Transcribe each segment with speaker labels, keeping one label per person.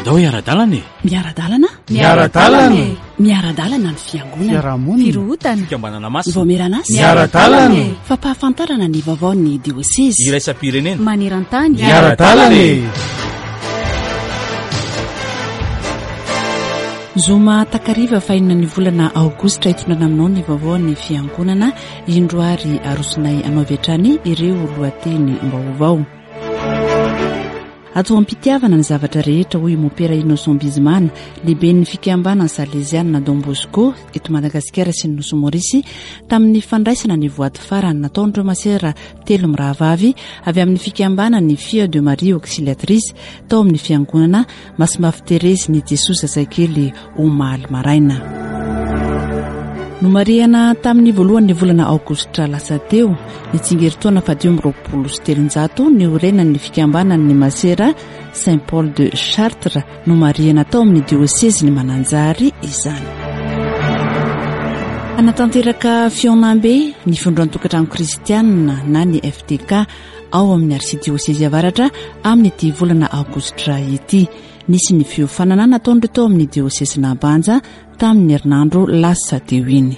Speaker 1: Andao hiara-dalana e!
Speaker 2: Miara-dalana?
Speaker 3: Miara-dalana e!
Speaker 2: Miara-dalana ny fiangonana.
Speaker 3: Fiarahamonina.
Speaker 2: Firohotana.
Speaker 1: Fikambanana masina.
Speaker 2: Ny vaomieran'asa.
Speaker 3: Miara-dalana e!
Speaker 2: Fampahafantarana ny vaovaon'ny diosezy.
Speaker 1: Iraisam-pirenena.
Speaker 2: Maneran-tany.
Speaker 3: Miara-dalana e!
Speaker 2: Zoma takariva fahenina ny volana aogositra hitondrana aminao ny vaovaon'ny fiangonana. Indro ary arosonay anao avy hatrany ireo lohateny vaovao. Atao am-pitiavana ny zavatra rehetra, hoy i Mompera Innocent Bizimana, lehiben'ny fikambanana Salezianina Don Bosco eto Madagasikara sy ny Nosy Maorisy, tamin'ny fandraisana ny voady farany nataon'ireo masera telo mirahavavy avy amin'ny fikambanan'ny Filles de Marie Auxiliatrice tao amin'ny fiangonana Masimbavy Terezy ny Jesoa Zazakely omaly maraina. Nomarihana tamin'ny voalohan'ny volana aogositra lasa teo ny tsingerin-taona faha-325 niorenan'ny fikambanan'ny masera Saint Paul de Chartres nomarihana tao amin'ny diosezin'i Mananjary izany. Hanatanteraka fihaonambe ny Fondron-tokantrano kristianina na ny FTK ao amin'ny arsidiosezy avaratra amin'ity volana aogositra ity. Nisy ny fiofanana nataon'ireo tao amin'ny diosezin'Ambanja tamin'ny herinandro lasa teo iny.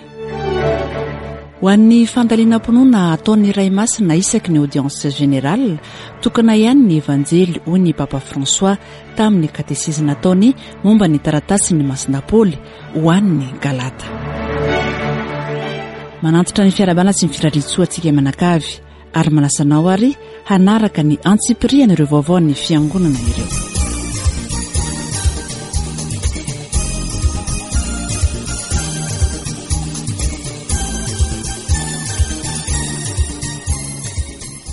Speaker 2: Ho an'ny fandalinam-pinoana ataon'ny Ray Masina isaky ny audience générale, tokana ihany ny Evanjely, hoy ny Papa François tamin'ny katesizy nataony momba ny taratasin'ny Masina Paoly ho an'ny Galata. Manantitra ny fiarahabana sy ny firarian-tsoa antsika mianakavy. Ary manasa anao ary hanaraka ny antsipirihan' ireo vaovaon'ny Fiangonana ireo.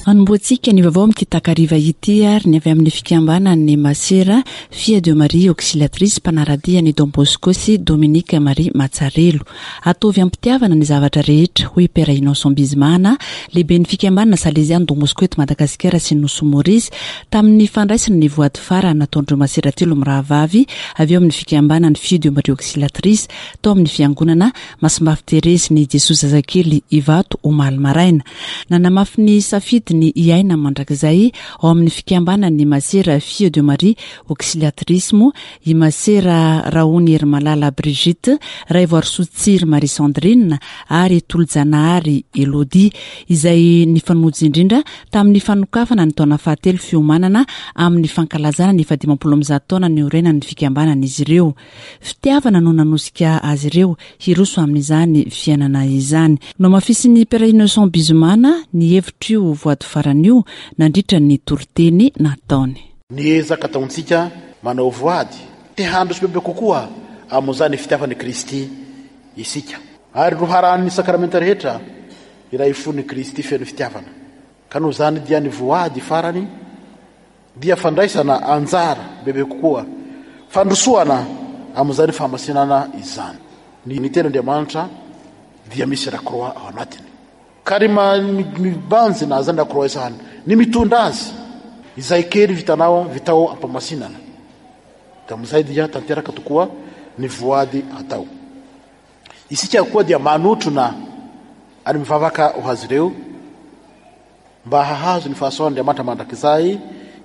Speaker 2: Anombohantsika ny vaovao amin'ity takariva ity ary ny avy amin'ny fikambanan'ny Masera Fille de Marie Auxiliatrice mpanara-dia an'i Don Bosco sy Dominique Marie Matsarelo. Ataovy am-pitiavana ny zavatra rehetra, hoy i Père Innocent Bizimana, lehiben'ny fikambanana Salesiano Don Bosco eto Madagasikara sy ny Nosy Maurice, tamin'ny fandraisana ny voady farany nataon'ireo masera telo mirahavavy avy eo amin'ny fikambanan'ny Filles de Marie Auxiliatrice tao amin'ny fiangonana Masimbavy Terezy ny Jesoa Zazakely Ivato omaly maraina. Nanamafy ny safidiny hiaina mandrakizay ao amin'ny fikambanan'ny masera Filles de Marie Auxiliatrice moa i Masera Rahony Herimalala Brigitte, Raivoarisoa Tsiry Marie Sandrine ary Tolojanahary Elodie, izay nifanojo indrindra tamin'ny fanokafana ny taona fahatelo fiomanana amin'ny fankalazana ny fahadimampolo ambizato taona niorenan'ny fikambanana izy ireo. Fitiavana no nanosika azy ireo hiroso amin'izany fiainana izany. Nohamafisin'ny Père Innocent Bizimana ny hevitr'io voady farany io nandritra ny toriteny nataony.
Speaker 4: Ny ezaka ataontsika manao voady te handroso bebe kokoa amin'izany fitiavan'i Kristy isika. Ary loharanon'ny sakramenta rehetra ilay fon'i Kristy feno fitiavana. Ka noho izany dia ny voady farany dia fandraisana anjara bebe kokoa, fandrosoana amin'izany fahamasinana izany. Ny Tenin'Andriamanitra dia misy lakroa ao anatiny. Ka ry mibanjina zany lakroa izany, ny mitondra azy, izay kely vitanao vitao ampamasinana. Dia amin'izay dia tanteraka tokoa ny voady atao. Isika koa dia manotrona ary mivavaka ho azy ireo mba hahazo ny fahasoavan'Andriamanitra mandrakizay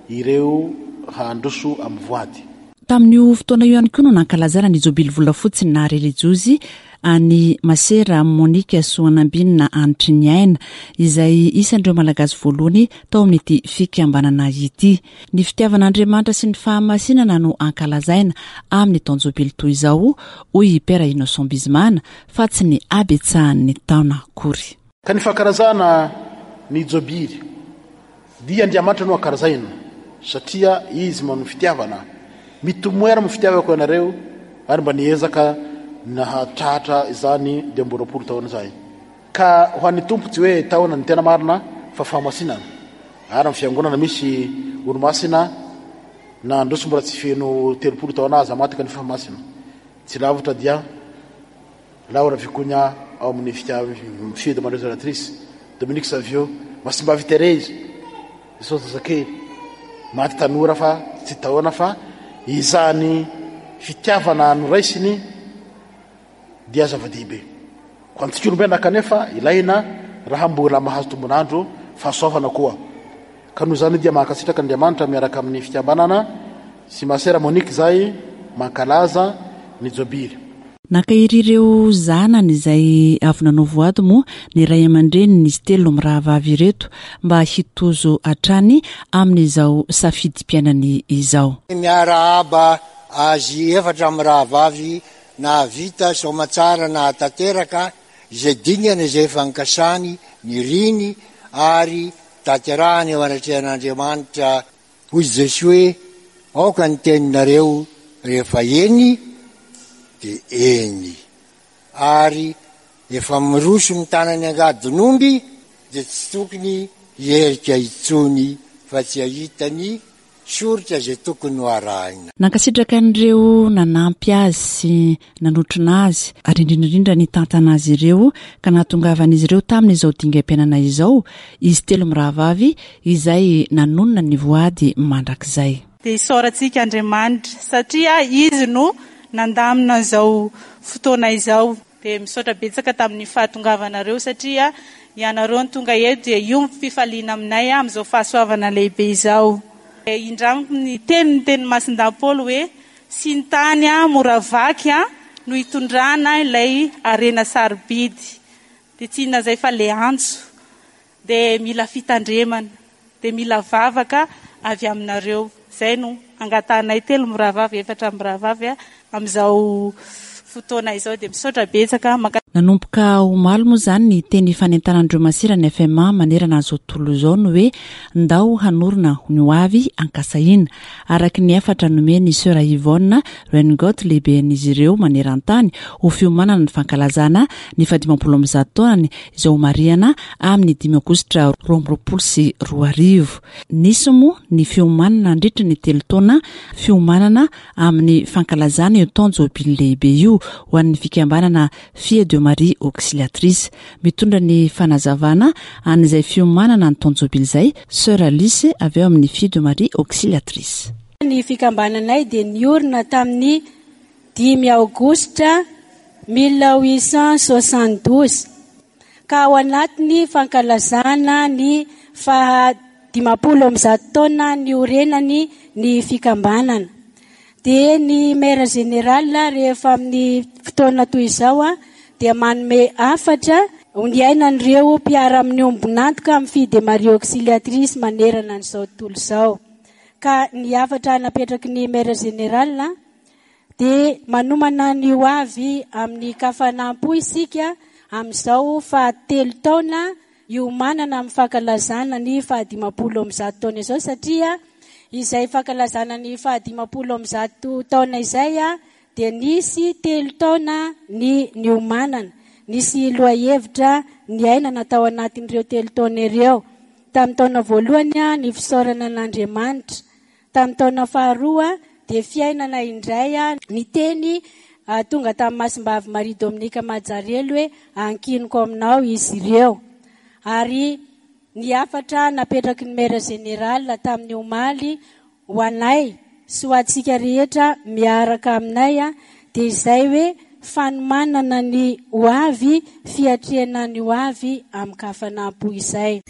Speaker 4: ireo handroso amin'ny voady.
Speaker 2: Tamin'io fotoana io ihany koa no nankalazana ny jobily volafotsy naha relijiozy an'i Masera Monica Soanambinina Hanitriniaina, izay isan'ireo Malagasy voalohany tao amin'ity fikambanana ity. Ny fitiavan'Andriamanitra sy ny fahamasinana no ankalazaina amin'ny taon-jobily toy izao, hoy i Père Innocent Bizimana, fa tsy ny habetsahan'ny taona akory.
Speaker 4: Ka ny fankalazana ny Jobily dia Andriamanitra no ankalazaina satria Izy manome fitiavana. Mitomoera amin'ny fitiavako ianareo ary mba niezaka nahatratra izany 25 taona izay. Ka ho an'ny Tompo tsy hoe taona ny tena marina fa fahamasinana. Ary amin'ny fiangonana misy olomasina nandroso mbola tsy feno 30 taona aza maty kanefa masina. Tsy lavitra dia Laura Vicuña ao amin'ny Fille de Marie Adoratrice, Dominique Savio, Masimbavy Thérèse, Jesosy Zazakely, maty tanora fa tsy taona fa izany fitiavana noraisiny dia zava-dehibe. Ho antsika olombelona kanefa ilaina raha mbola mahazo tombon'andro fahasoavana koa. Ka noho izany dia mankasitraka Andriamanitra miaraka amin'ny fikambanana. sy Masera Monique izay mankalaza ny Jobily.
Speaker 2: Nankahery ireo zanany izay avy nanao voady moa ny ray aman-drenin'izy telo mirahavavy ireto mba hitozo hatrany amin'izao safidim-piainany izao.
Speaker 1: Miarahaba azy efatra mirahavavy nahavita soamatsara nahatanteraka izay dingana izay efa nikasany, niriny ary tanterahany eo anatrehan'Andriamanitra. Hoy Jesoa hoe, Aoka ny teninareo rehefa eny dia eny, ary efa miroso mitana ny angadin'omby dia tsy tokony hiherika intsony fa tsy hahita ny soritra izay tokony ho arahina.
Speaker 2: Nankasitraka an'ireo nanampy azy sy nanotrona azy ary indrindra indrindra nitantana azy ireo ka nahatongavan'izy ireo tamin'izao dingam-piainana izao izy telo mirahavavy izay nanonona ny voady mandrakizay.
Speaker 5: Dia isaorantsika Andriamanitra satria Izy no nandamina an'izao fotoana izao. Dia misaotra betsaka tamin'ny fahatongavanareo satria ianareo no tonga eto dia io ny fifaliana aminay amin'izao fahasoavana lehibe izao. Dia indramiko ny teny ny tenin'i Masindahy Paoly hoe sy ny tany mora vaky no hitondrana ilay harena sarobidy. Dia tsy inona izay fa ilay antso. Dia mila fitandremana. Dia mila vavaka avy aminareo. Izay no angatahanay telo mirahavavy, efatra mirahavavy amin'izao fotoana izao. Dia misaotra betsaka.
Speaker 2: Nanomboka omaly moa izany ny teny fanentanan'ireo masera ny FMA manerana an'izao tontolo izao ny hoe Ndao hanorina ny ho avy ankasahiana. Araka ny hafatra nomen'i Soeur Yvonne Rengot lehiben'izy ireo maneran-tany ho fiomanana ny fankalazana ny fahadimampolo amby zato taonany izay homarihana amin'ny dimy aogositra 2022. Nisy moa ny fiomanana nandritra ny telo taona fiomanana amin'ny fankalazana io taon-jobily lehibe io ho an'ny fikambanana Fille de Marie Auxiliatrice. Mitondra ny fanazavana an'izay fiomanana ny taon-jobily izay Soeur Alice avy ao amin'ny Fille de Marie Auxiliatrice.
Speaker 6: Ny fikambananay dia niorina tamin'ny dimy aogositra 1872, ka ao anatin'ny fankalazana ny faha 150 taona niorenany ny fikambanana. Dia ny Maire Général rehefa amin'ny fotoana toy izao dia manome hafatra ho niainan'ireo mpiara-miombon'antoka amin'ny Fille de Marie Auxiliatrice manerana an'izao tontolo izao. Ka ny hafatra napetraky ny Maire Général dia manomana ny ho avy amin'ny kafanam-po isika amin'izao faha telo taona iomanana amin'ny fankalazana ny faha 150 taona izao satria izay fankalazana ny faha 150 taona izay dia nisy telo taona ny niomanana. Nisy lohahevitra niainana tao anatin'ireo telo taona ireo. Tamin'ny taona voalohany ny fisaorana an'Andriamanitra. Tamin'ny taona faharoa dia fiainana indray ny teny tonga tamin'i Masimbavy Maria Dominika Majarelo hoe ankiniko aminao izy ireo. Ary ny hafatra napetraky ny Maire Général tamin'ny omaly ho anay sy ho antsika rehetra miaraka aminay dia izay hoe fanomanana ny ho avy, fiatrehana ny ho avy amin-kafanam-po izay.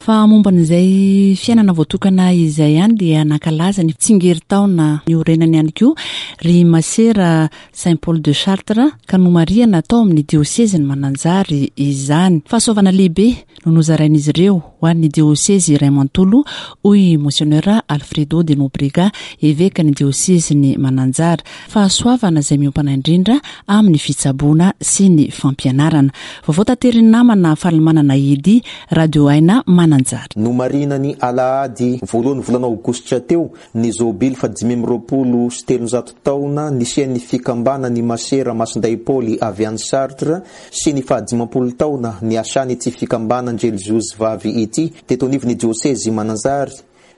Speaker 2: Fa momba an'izay fiainana voatokana izay ihany dia nankalaza ny tsingerin-taona niorenany ihany koa ry Masera Saint Paul de Chartres ka nomarihana tao amin'ny diosezin'i Mananjary izany. Fahasoavana lehibe no nozarain'izy ireo ho an'ny diosezy iray manontolo hoy Monseigneur Alfredo de Nobrega, evekan'ny diosezin'i Mananjary. Fahasoavana izay miompana indrindra amin'ny fitsaboana sy ny fampianarana. Vaovao taterin'ny namana Falimanana Eddy, Radio Aina Mananjary.
Speaker 7: Nomarihina ny alahady voalohan'ny volana aogositra teo ny jobily faha-325 taona nisian'ny fikambanan'ny Masera Masindahy Paoly avy any Chartres sy ny faha-50 taona niasan'ity fikambanan-drelijiozy vavy ity teto anivon'ny diosezy Mananjary.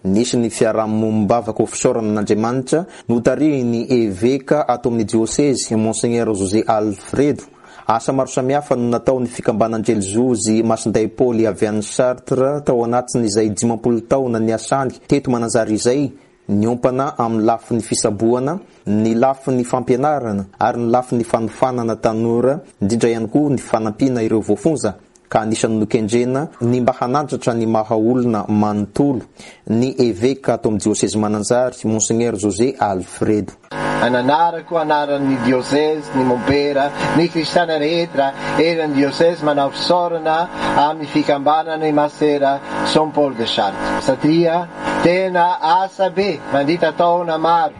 Speaker 7: Nisy ny fiarahamonim-bavaka ho fisaorana an'Andriamanitra notarihin'ny Eveka ato amin'ny diosezy, Monseigneur José Alfredo. Asa maro samihafa no nataon'ny fikambanan-drelijiozy Masindahy Paoly avy any Chartres tao anatin'izay 50 taona niasany teto Mananjary izay. Niompana amin'ny lafiny fisaboana, ny lafiny fampianarana ary ny lafiny fanofanana tanora, indrindra ihany koa ny fanampiana ireo voafonja ka anisan'ny nokendrena ny mba hanandratra ny maha olona manontolo ny eveka ato amin'ny diosezy Mananjary, Monseigneur José Alfredo.
Speaker 8: Ananarako anaran'ny diosezy, ny mompera, ny kristiana rehetra eran'ny diosezy manao fisaorana amin'ny fikambanana i Masera Saint Paul de Chartres satria tena asa be mandritra taona maro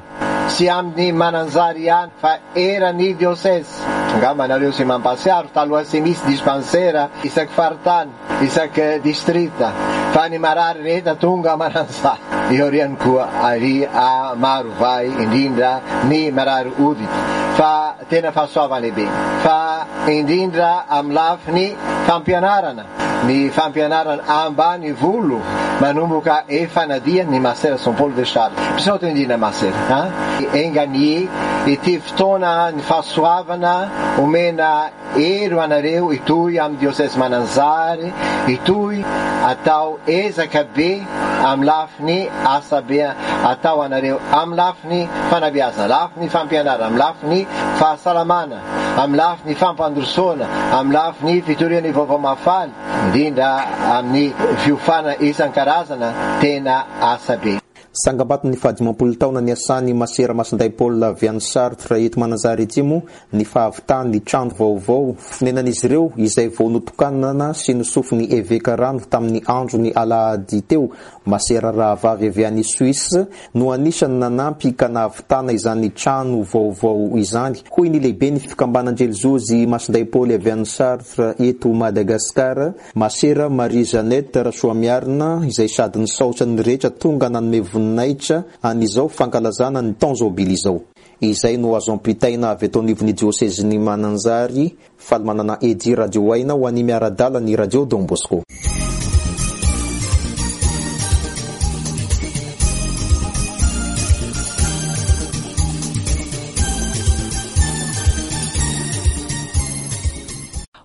Speaker 8: tsy amin'ny Mananjary ihany fa eran'ny diosezy. Angamba nareo tsy mampahatsiaro taloha tsy misy dispansera isaky faritany, isaky distrikta fa ny marary rehetra tonga Mananjary. Aoriany koa ary a Marovay indrindra ny marary hoditra fa tena fahasoavana lehibe fa indrindra amin'ny lafiny fampianarana. Ny fampianarana ambanivolo manomboka efa nadia ny Masera Saint Paul de Chartres. Misaotra indrindra Masera a! Enga anie ity fotoana ny fahasoavana omena hery ho anareo hitohy amin'ny Diosesy Mananjary hitohy atao ezaka be amin'ny lafiny asa be atao anareo amin'ny lafiny fanabeazana, lafiny fampianarana, amin'ny lafiny fahasalamana. Amin'ny lafiny fampandrosoana, amin'ny lafiny fitoriana ny vaovao mahafaly, indrindra amin'ny fiofana isan-karazana, tena asa be.
Speaker 7: Tsangambaton'ny fahadimampolo taona niasan'i Masera Masindahy Paul avy any Chartres eto Mananjary Atsimo ny fahavitan'ny trano vaovao fonenan'izy ireo izay vao notokanana sy nosofin'ny Eveka rano tamin'ny andron'ny alahady teo. Masera rahavavy avy any Suisse no anisan'ny nanampy ka nahavitana izany trano vaovao izany, hoy ny lehiben'ny fikambanan-drelizozy Masindahy Paoly avy any Chartres eto Madagasikara, Masera Marie Jeannette Rasoamiarina, izay sady nisaotra ny rehetra tonga nanome voninahitra an'izao fankalazana ny taon-jobily izao. Izay no azo ampitaina avy eto anivon'ny diosezin'i Mananjary. Faly manana Eddy Radio Aina ho an'i miara-dala ny Radio Don Bosco.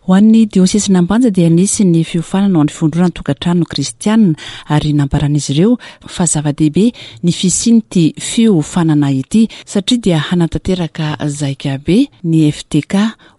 Speaker 2: Ho an'ny diosesin'Ambanja dia nisy ny fiofanana ho an'ny fivondronana tokantrano kristianina ary nambaran'izy ireo fa zava-dehibe ny fisian'ity fiofanana ity satria dia hanatanteraka zaikabe ny FTK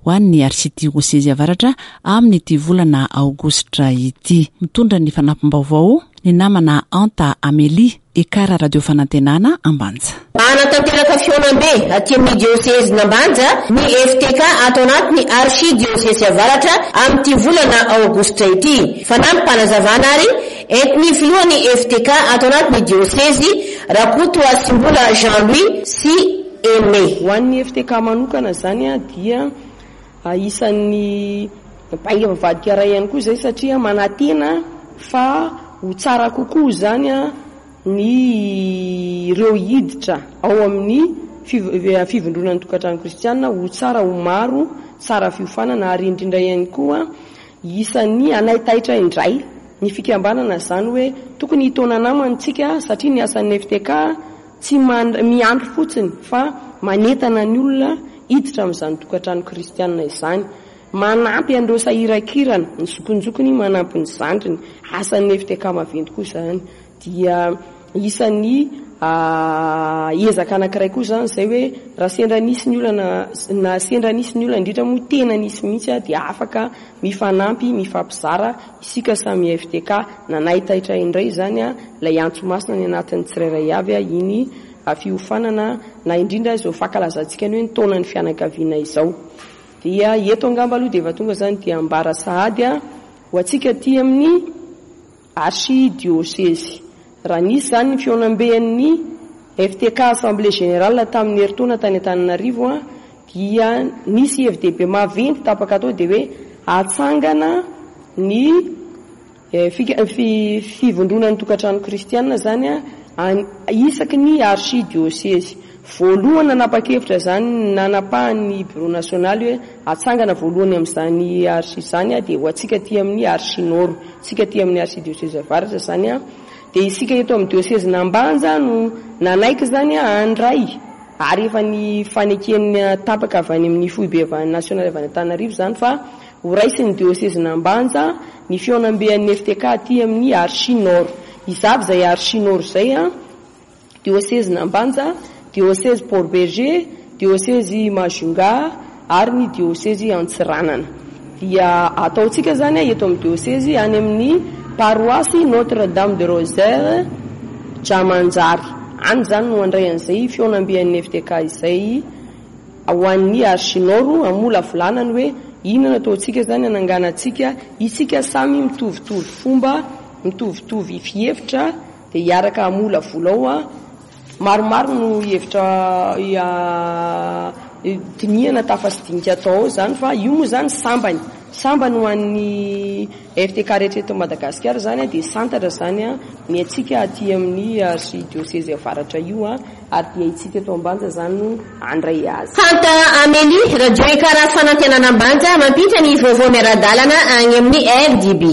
Speaker 2: ho an'ny Arsidiosezy Avaratra amin'ity volana aogositra ity. Mitondra ny fanampim-baovao ny namana Anta Amélie, Ekar Radio Fanantenana, Ambanja.
Speaker 9: Hanatanteraka fihaonambe aty amin'ny diosezin'Ambanja ny FTK ato anatin'ny Archidiosesy Avaratra amin'ity volana aogositra ity. Fanampim-panazavana ary entin'ny filohan'ny FTK ato anatin'ny diosezy, Rakotohasimbola Jean Louis sy Aimé.
Speaker 10: Ho an'ny FTK manokana izany dia isan'ny bainga mivadika iray ihany koa izay satria manantena fa ho tsara kokoa izany ny ireo hiditra ao amin'ny fivondronan'ny tokantrano kristiana ho tsara ho maro, tsara fiofanana ary indrindra ihany koa isan'ny hanaitaitra indray ny fikambanana izany hoe tokony hitaona namana isika satria ny asan'ny FTK Tsy miandry fotsiny fa manentana ny olona hiditra amin'izany tokantrano kristiana izany. Manampy an'ireo sahirankirana, ny zokinjokiny manampy ny zandriny. Asan'ny FTK maventy koa izany. Dia isan'ny ezaka anankiray koa izany izay hoe raha sendra nisy ny olana, na sendra nisy ny olana, indrindra moa tena nisy mihitsy dia afaka mifanampy, mifampizara isika samy FTK. Nanaitaitra indray izany ilay antso masina any anatin'ny tsirairay avy iny fiofanana na indrindra izao fankalazantsika ny hoe ny taonan'ny fianakaviana izao. Dia eto angamba aloha dia efa tonga izany dia ambara sahady ho antsika aty amin'ny Archidiocese. Raha nisy izany ny fihaonamben'ny FTK Assemblée Générale tamin'ny herintaona tany Antananarivo dia nisy hevi-dehibe maventy tapaka tao dia hoe hatsangana ny fivondronan'ny tokantrano kristiana izany isaky ny archidiocese. Voalohany nanapa-kevitra izany nanapahan'ny Bureau nasionaly hoe hatsangana voalohany amin'izany archi izany dia ho antsika aty amin'ny archi nord, isika aty amin'ny archidiocese avaratra izany dia isika eto amin'ny diosezin'Ambanja no nanaiky izany handray ary efa ny faneken'ny tapaka avy any amin'ny foibe avy any nasionaly avy any Antananarivo izany fa ho raisin'ny diosezin'Ambanja ny fihaonamben'ny FTK aty amin'ny archi nord. Iza avy izay archi nord izay? diosezin'Ambanja, diosezy Port Bergé, diosezy Majunga ary ny diosezy Antsiranana. Dia ataontsika izany eto amin'ny diosezy any amin'ny paroasy Notre Dame de Rosaire Jamanjary. Any izany no handray an'izay fihaonamben'ny FTK izay ho an'ny Archinord hamolavolana ny hoe inona no ataontsika izany hananganantsika isika samy mitovitovy fomba, mitovitovy fihevitra dia hiaraka hamolavola ao. Maromaro no hevitra dinihana tafa sy dinika atao ao izany fa io moa izany sambany, sambany ho an'ny FTK rehetra eto Madagasikara izany dia santatra izany ny antsika aty amin'ny archidiocèse avaratra io ary dia itsika eto Ambanja izany no handray azy.
Speaker 9: Fanta Amélie, Radio Ekara Fanantenana Ambanja, mampita ny vaovao miara-dalana agny amin'ny RDB.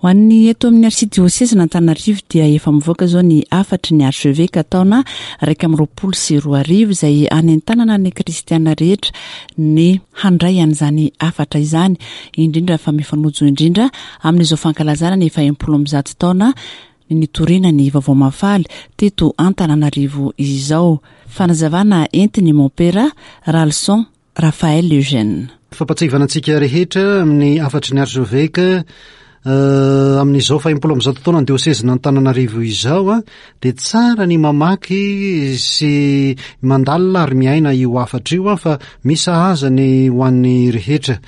Speaker 2: Ho an'ny eto amin'ny Arsidiosezin'Antananarivo dia efa mivoaka izao ny hafatry ny Archevêque taona 2021 izay hanentanana ny kristiana rehetra ny handray an'izany hafatra izany, indrindra fa mifanojo indrindra amin'izao fankalazana ny faha 160 taona ny nitoriana ny Vaovao Mahafaly teto Antananarivo izao. Fanazavana entin'i Mompera Ralison Raphaël Eugène.
Speaker 11: Fampatsiahivana antsika rehetra amin'ny hafatry ny Archevêque amin'izao faha-enimpolo amby zato taonan'ny diosezin'Antananarivo izao dia tsara ny mamaky sy mandalina ary miaina io hafatra io fa misy sahaza ny ho an'ny rehetra.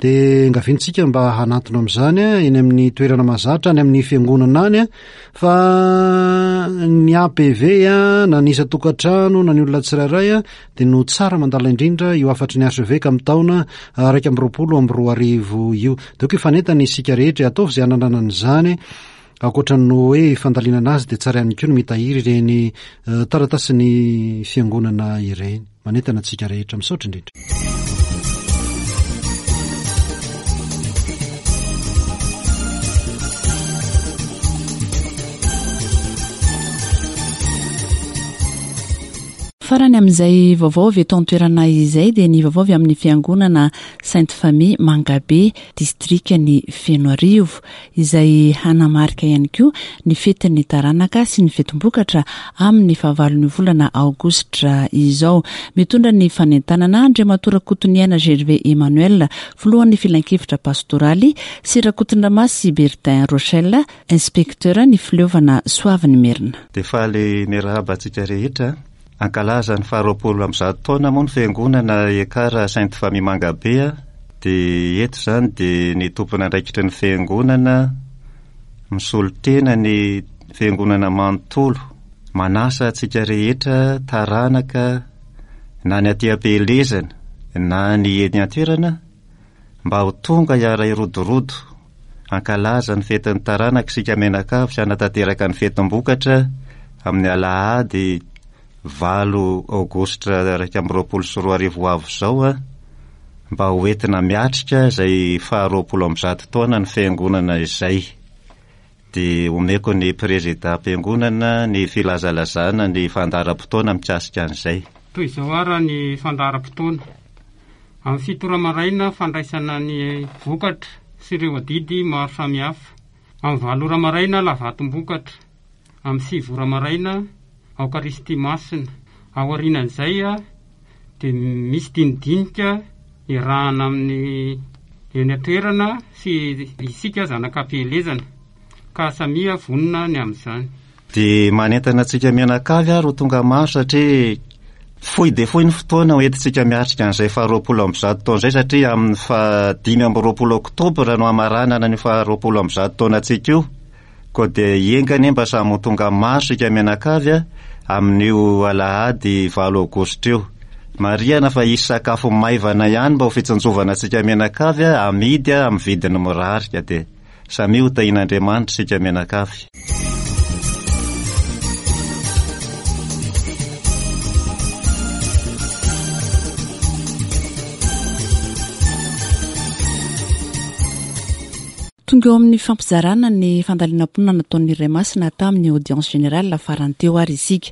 Speaker 11: Dia engaviantsika mba hanantona amin'izany eny amin'ny toerana mahazatra any amin'ny fiangonana any fa ny APV na ny isan-tokantrano na ny olona tsirairay dia no tsara mandala indrindra io hafatry ny archevêque amin'ny taona 2021 io. Dia ok hifanentana isika rehetra, ataovy izay hananana an'izany. Ankoatra ny hoe fandalinana azy dia tsara ihany koa ny mitahiry ireny taratasin'ny fiangonana ireny. Manentana antsika rehetra. Misaotra indrindra.
Speaker 2: Farany amin'izay vaovao avy eto an-toerana izay dia ny vaovao avy amin'ny fiangonana Sainte Famille Mangabe, distrikan'i Fenoarivo, izay hanamarika ihany koa ny fetin'ny taranaka sy ny fetim-bokatra amin'ny fahavalon'ny volana aogositra izao. Mitondra ny fanentanana Andriamatoa Rakotoniaina Gervais Emmanuel, filohan'ny filankevitra pastoraly, sy Rakotondramasy Bertin Rochelle, Inspecteur ny fileovana Soavinimerina.
Speaker 12: Dia faly miarahaba antsika rehetra. Hankalaza ny faha 120 taona moa ny fiangonana Ekar Sainte Famille Mangabe. Dia eto izany dia ny tompon'andraikitry ny fiangonana misolo tena ny fiangonana manontolo. Manasa antsika rehetra taranaka na ny aty am-pielezana na ny eny an-toerana mba ho tonga hiara-hirodorodo hankalaza ny fetin'ny taranaka isika mianakavy sy hanatanteraka ny fetim-bokatra amin'ny alahady 8 aogositra 2021 ho avy izao mba ho entina miatrika izay faha 120 taona ny fiangonana izay. Dia omeko ny prezidam-piangonana ny filazalazana ny fandaharam-potoana mikasika an'izay.
Speaker 13: Toy izao ara ny fandaharam-potoana. Amin'ny fito ora maraina, fandraisana ny vokatra sy ireo adidy maro samihafa. Amin'ny valo ora maraina, lavatom-bokatra. Amin'ny sivy ora maraina, Aokaristia Masina. Aorianan'izay dia misy dinidinika iarahana amin'ny eny an-toerana sy isika zanak'ampielezana ka samia vonona ny amin'izany.
Speaker 12: Dia manentana antsika mianakavy ary ho tonga maro satria fohy dia fohy ny fotoana ho entintsika miatrika an'izay faha 120 taona izay satria amin'ny faha 25 oktobra no hamaranana an'io faha 120 taonantsika io. Koa dia enga anie mba samy ho tonga maro isika mianakavy amin'io alahady valo aogositra io. Marihana fa hisy sakafo maivana ihany mba ho fitsinjovana antsika mianakavy amidy amin'ny vidiny mirary ka dia samia ho tahian'Andriamanitra isika mianakavy.
Speaker 2: Tonga eo amin'ny fampizarana ny fandalinam-pinoana nataon'ny Ray Masina tamin'ny Audience Générale farany teo ary isika.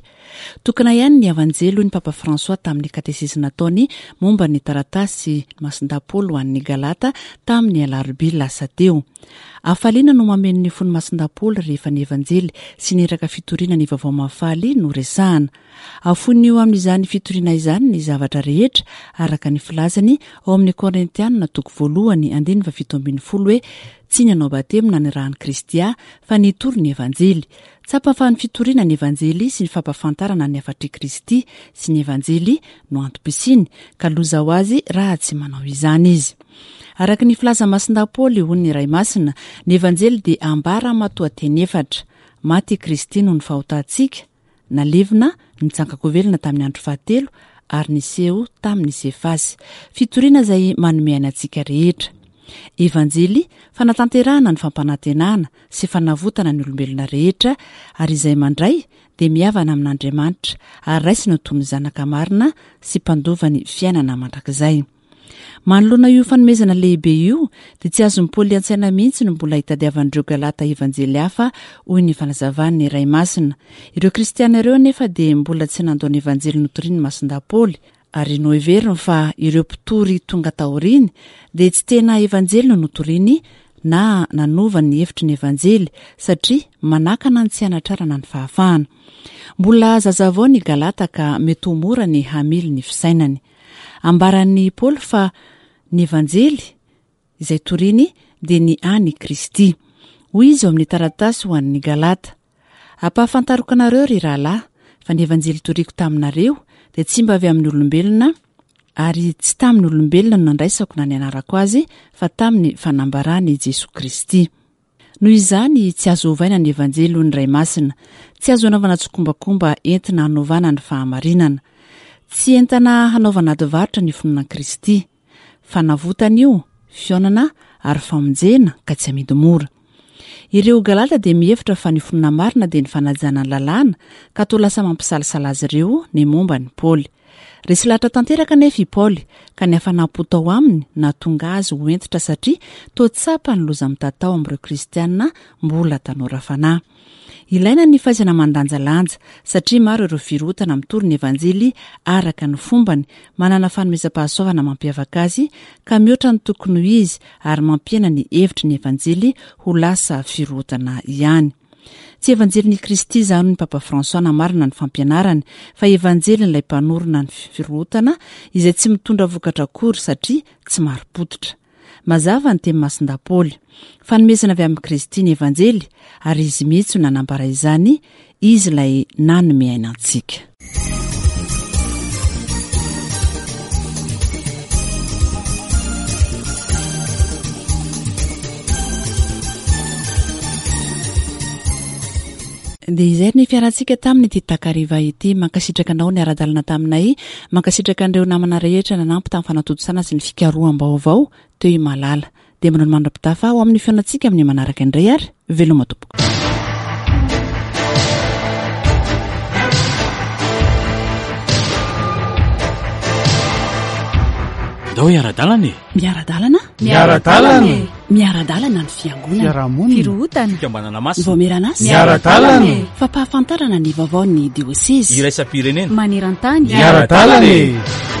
Speaker 2: Tokana ihany ny Evanjely hoy ny Papa François tamin'ny katesizy nataony momba ny taratasy Masindahy Paoly ho an'ny Galata tamin'ny alarobia lasa teo. Hafaliana no mameno ny fon'i Masindahy Paoly rehefa ny Evanjely sy ny iraka fitoriana ny Vaovao Mahafaly no resahana. Afoiny eo amin'izany fitoriana izany ny zavatra rehetra, araka ny filazany ao amin'ny Korintiana toko voalohany andininy faha-17 hoe, Tsy ny hanao batemy nanirahan'i Kristy ahy, fa ny hitory ny Evanjely. Tsapa fa ny fitoriana ny Evanjely sy ny fampahafantarana ny hafatr'i Kristy sy ny Evanjely no antom-pisiany, ka loza ho azy raha tsy manao izany izy. Araka ny filazan'i Masindahy Paoly, hoy ny Ray Masina, ny Evanjely dia ambara matoanteny efatra, Maty i Kristy noho ny fahotantsika, Nalevina, nitsangan-kovelona tamin'ny andro fahatelo ary niseho tamin'i Sefasy. Fitoriana izay manome aina antsika rehetra. Evanjely, fanatanterahana ny fampanantenana sy fanavotana ny olombelona rehetra ary izay mandray dia mihavana amin'Andriamanitra ary raisina ho toy ny zanaka marina sy mpandova ny fiainana mandrakizay. Manoloana io fanomezana lehibe io, dia tsy azon'i Paoly an-tsaina mihitsy ny mbola hitadiavan'ireo Galata evanjely hafa, hoy ny fanazavan'ny Ray Masina. Ireo Kristiana ireo anefa dia mbola tsy nandao ny evanjely notorian'i Masindahy Paoly, ary noheveriny fa ireo mpitory tonga taoriany dia tsy tena evanjely no notoriany na nanova ny hevitry ny evanjely, satria manakana ny tsy hanatrarana ny fahafahana. Mbola zazavao ny Galata ka mety ho mora ny hamily ny fisainany. Ambaran'i Paoly fa ny Evanjely izay toriny dia ny an' i Kristy. Hoy izy ao amin'ny taratasy ho an'ny Galata, Ampahafantariko anareo, ry rahalahy, fa ny Evanjely toriko taminareo dia tsy mba avy amin'ny olombelona, ary tsy tamin'ny olombelona no nandraisako na nianarako azy, fa tamin'ny fanambaran'i Jesoa Kristy. Noho izany, tsy azo ovaina ny Evanjely hoy ny Ray Masina. Tsy azo anaovana tsikombakomba entina hanovana ny fahamarinana. Tsy entana hanaovana ady varotra ny finoana an'i Kristy. Fanavotana io, fihaonana ary famonjena ka tsy amidy mora. Ireo Galata dia mihevitra fa ny finoana marina dia ny fanajana ny lalàna ka toa lasa mampisalasala azy ireo ny momba an'i Paoly. Resy lahatra tanteraka anefa i Paoly, ka ny hafanam-po tao aminy nahatonga azy ho hentitra satria toa tsapa ny loza mitatao amin'ireo Kristiana mbola tanora fanahy. Ilaina ny fahaizana mandanjalanja, satria maro ireo firohotana mitory ny Evanjely araka ny fombany, manana fanomezam-pahasoavana mampiavaka azy, ka mihoatra ny tokony ho izy ary mampihena ny hevitry ny Evanjely ho lasa firohotana ihany. Tsy Evanjelin'i Kristy izany hoy ny Papa François namarana ny fampianarany fa Evanjelin'ilay mpanorina ny firohotana izay tsy mitondra vokatra akory satria tsy marim-pototra. Mazava ny teny Masindahy Paoly. Fanomezana avy amin'i Kristy ny Evanjely ary Izy mihitsy no nanambara izany, Izy ilay nanome aina antsika. Dia izay ny fiarantsika tamin'ity takariva ity. Mankasitraka anao niara-dalana taminay. Mankasitraka an'ireo namana rehetra nanampy tamin'ny fanatontosana sy ny fikaroham-baovao teo i Malala. Dia manao ny mandra-pitafa ho amin'ny fihaonantsika amin'ny manaraka indray ary veloma tompoko.
Speaker 14: Ndao hiara-dalana e!
Speaker 2: Miara-dalana?
Speaker 3: Miara-dalana e!
Speaker 2: Miara-dalana ny fiangonana.
Speaker 3: Fiarahamonina.
Speaker 2: Firohotana.
Speaker 14: Fikambanana masina.
Speaker 2: Ny vaomieran'asa.
Speaker 3: Miara-dalana e!
Speaker 2: Fampahafantarana ny vaovaon'ny diosezy.
Speaker 14: Iraisam-pirenena.
Speaker 15: Maneran-tany.
Speaker 3: Miara-dalana e!